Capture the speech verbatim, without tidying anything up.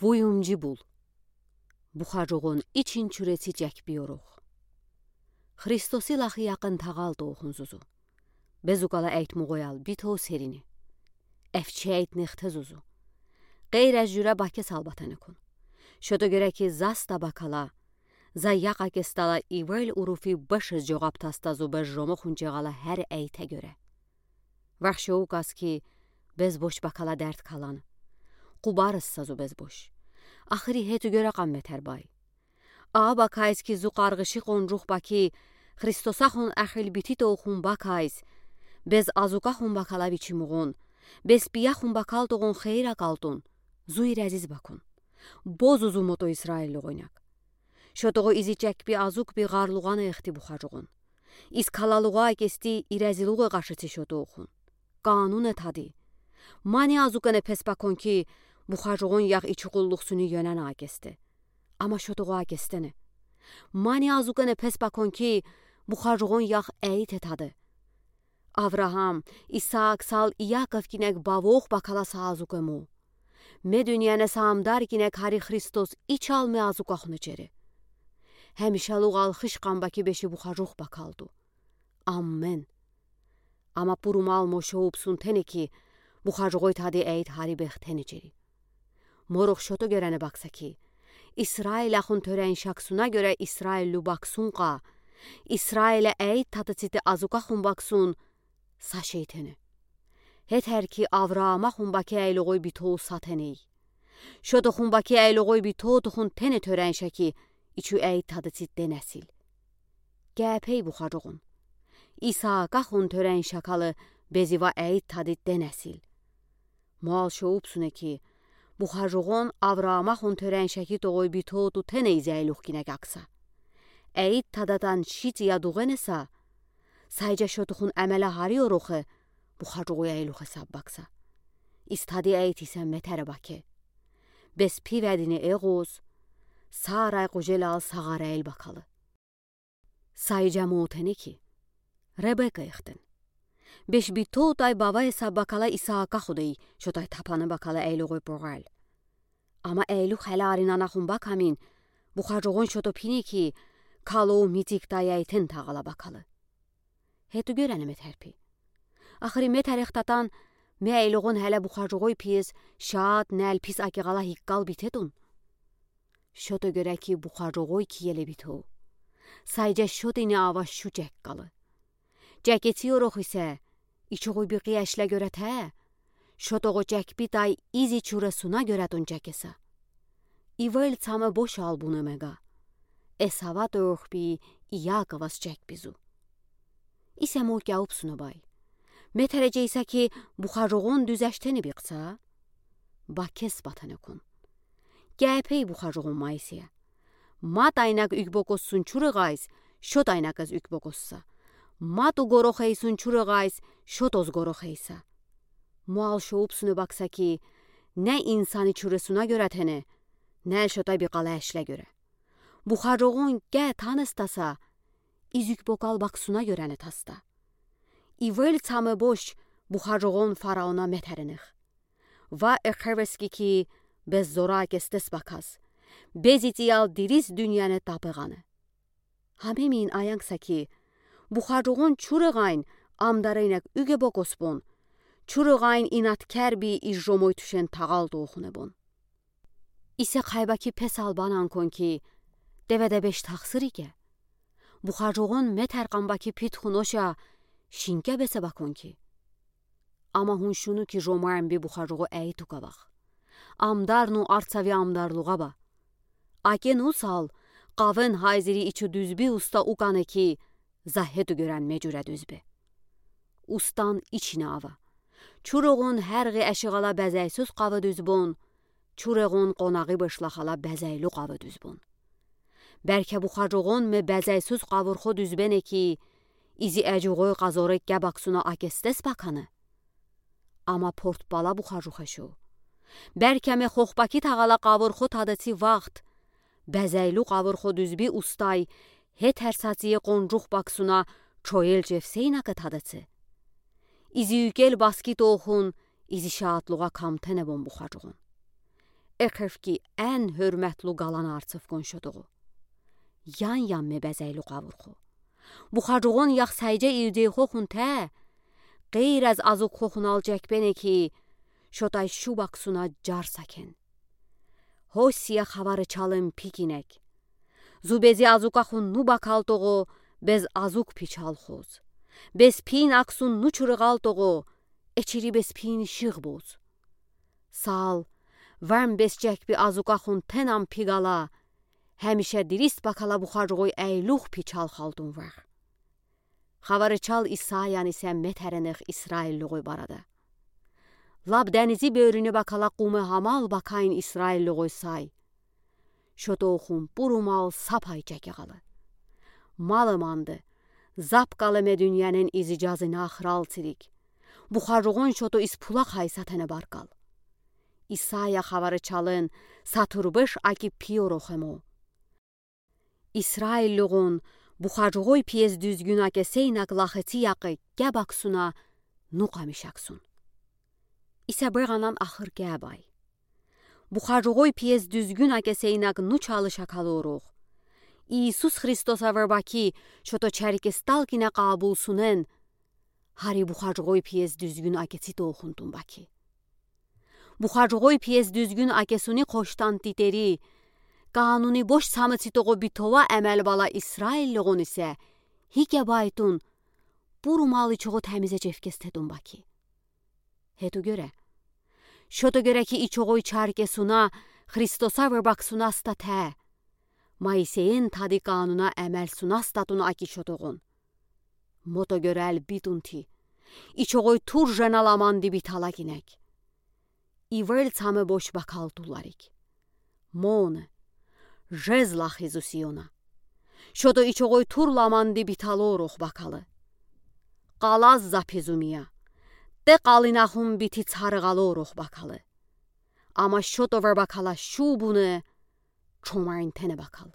Вуюмжи бул. Бухажугъун ичин чуреци чекбиорох. Христоси лахи якъын тағал тоохун зузу. Безукала эйтмугъоял битол серине. Эфчейт нехте зузу. Гейраз жура бакесал батанекун. Шото герек ки заста бакала, за яха кестала ивел уруфи башез жоғап тастазу беш жомохун чеғала хер эйте гере. Вахшоу кас ки безбош бакала дерт калан. Къубарыс сазу безбош. Ахри хету гере къамметер бай. А бакайс ки зу къаргъыши къонжух баки, Христосахун ахил бити тоохун бакайс, без азукахун бакала бичимугъун, без пияхун бакал тогъун хейра калтун, зу ирезиз бакун. Бозу зу мото Исраиллугъойнак. Шотогъо изи чекби азукби гъарлугъана эхти бухажугъун. Из калалугъа акести ирезилугъе къашици шотоохун. Кануне тади. Мани азукене пес бакон ки, бухажугъун ях ичугъуллух суни ёнана акесте. Ама шотогъо акестене. Мани азукене пес бакон ки, бухажугъун ях эйте тади. Авраам, Исаак сал Иаков кинек бавох бакала са азуке му. Ме дуниене са амдар кинек хари Христос ичал ме азукахуне чере. Хемишалугъал хышкъам баки беши бухажух бакалду. Аммен. Ама пурумал мо шоупсун тене ки, бухажугъой тади эйт хари бехтене чери. Морох шото герене бакса ки, Исраилахун тёрен шаксуна гере Исраиллу баксун къа, Исраила эйт тадаците азукахун баксун са шейтене. Хетер ки Авраамахун баки эйлугъой битол са теней. Шотохун баки эйлугъой битотохун тене тёрен шаки, ичу эйт тадацит денесил. Гепей бухажугъун. Исаакахун тёрен шакалы безива эйт тадит денесил. Муал шоупсуне ки, бухажугъун Авраамахун тёрен шаки тогъой битоту теней зейлух кинек акса. Эйт тадатан шици ядугъене са, сайжа шотохун эмеле хари орохе, бухажугъуй эйлух эсап бакса. Из тади эйт исе метере баке. Без пиведине эгъоз, сарай къужелал сагъарел бакалы. Сайжа мо тене ки, Ребека эхтен. Беш битотай бавай са бакала Исаака худей, шотай тапана бакала эйлугъой погъал. Ама эйлух хеле аринанахун бакамин, бухажугъун шото пини ки, калоу митиктай эйтен тагъала бакалы. Хету герене метерпи. Ахри метерехтатан, ме эйлугъун хеле бухажугъой пиез, шаат нел пис акигъала хиккал битетун. Шото гере ки бухажугъой киеле битоу. Сайжа шотине ава шу чеккалы. Чекеци орох исе, ичугъуй бикъи эшле герете, шотогъо чекпитай изи чуресуна геретун чекеса. Ивел цаме бош албуна мега. Эсава тохпи Иаковас чекпизу. Исе мо кяупсуна бай. Метере чейса ки бухажугъун дуьз эштени бикъса, бакес батанекун. Гепей бухажугъун майсия. Ма тайнак уьгбокоссун чурегъайс, шо тайнакез уьгбокосса. Ма ту горохейсун чурегъайс, шо тоз горохейса. Муал шоупсуна бакса ки, не инсани чуресуна геретене, не шотай бикъала эшле гере. Бухажугъун ге таныстаса, из уьгбокал баксуна герене таста. Ивел цаме бош бухажугъун фараона метеренех. Ва эхевески ки без зора кестес бакас. Без ициял дирис дуьньяне тапегъане. Хамемин аянкса ки, бухажугъун чурегъайн амдарайнак уьге бокосбон, чурегъайн инаткерби из жомой тюшен тагъал тоухунебон. Исе хайбаки пес албанан кон ки, деведе беш тахсырике. Бухажугъун метеркъан баки питхуноша, шинке бесе бакон ки. Ама хун шуну ки жомармби бухажугъу эйтука бах. Амдарну арцави амдарлугъа ба. Акен усал, къавен хайзири ичу дуьзби уста укане ки, за хету герен меджуре дуьзбе. Устан ичине ава. Чурегъун хергъи эшигъала безейсуз къавы дуьзбон, чурегъун къонагъи бышлахала безейлу къавы дуьзбон. Берке бухажугъун ме безейсуз къавурхо дуьзбене ки, изи эджугъой къазоры кебаксуна акестес баканы. Ама портпала бухажух эшу. Берке ме хохбаки тагъала къавурхо тадыци вахт. Безейлу къавурхо дуьзби устай, хетер сатие къонжух баксуна чоел чевсейнака тадыци. Изи уьгел баски тоухун, изи шаатлугъа камтенебон бухажугъун. Экв ки, эн хурметлу галан арцев кун шотугу. Ян-янме базарлу къавурху. Бухаргон яхсайджа илдейхохун тэ, гейраз азукхохун алджекбене ки, шотай шуб аксуна джар сакен. Хосия хаварычалын пикинек. Зу бези азукахун ну бакалтогу, бес азук пичалхуз. Бес пиин аксун ну чурыгалтогу, эчири бес пиин шыгъбуз. Сал, варм бес чекби азукахун тэнам пигала, хэмиша дирист бакала бухаргой айлух пичал халдун вар. Хаварычал Исаян исе метэрэнэх Исраиллугой барада. Лап дэнизий бёрюне бакала къумэ хамал бакайн Исраиллугой сай. Шотохун бурумал сапай чекегалы. Малы манды, запкалы ме дуниянын изи джазына храл цирик. Бухаргон шото из пулахай сатэнэ баргал. Исая хаварычалын сатур беш аки пиорохэмо. Исраиллугон бухаргой пиез дуьзгюн акесе инаг лахыци якы кеб аксуна ну къамиш аксун. Исе быганан ахыр кебай. Бухаргой пиез дуьзгюн акесе инаг ну чалыш акалорух. Иисус Христоса варбаки шото чарикестал кине къабулсунэн, хари бухаргой пиез дуьзгюн акецитохунтун баки. Бухаргой пиез дуьзгюн акесуни къоштан титери, кануни бош самыцитогу битова эмел бала Исраиллугон исе хикебайтун, бурумал ичогу тэмизе чевкестетун баки. Хету гёре. Шото гёре ки ичогой чарикесуна Христоса варбаксунастатэ. Моисейэн тади кануна эмелсунастатун аки шотогон. Мото гёре эль битунти. Ичогой тур жена ламанди биталагинек. Иврел цамэ бош бакалтуларик. Моны. Жез лахи зусиёна. Шото ичогой тур ламанди биталорух бакалы. Къалаз запи зумия. Тэ къалинахун бити царыгалорух бакалы. Ама шото варбакала шубуны чомарин тэнэ бакал.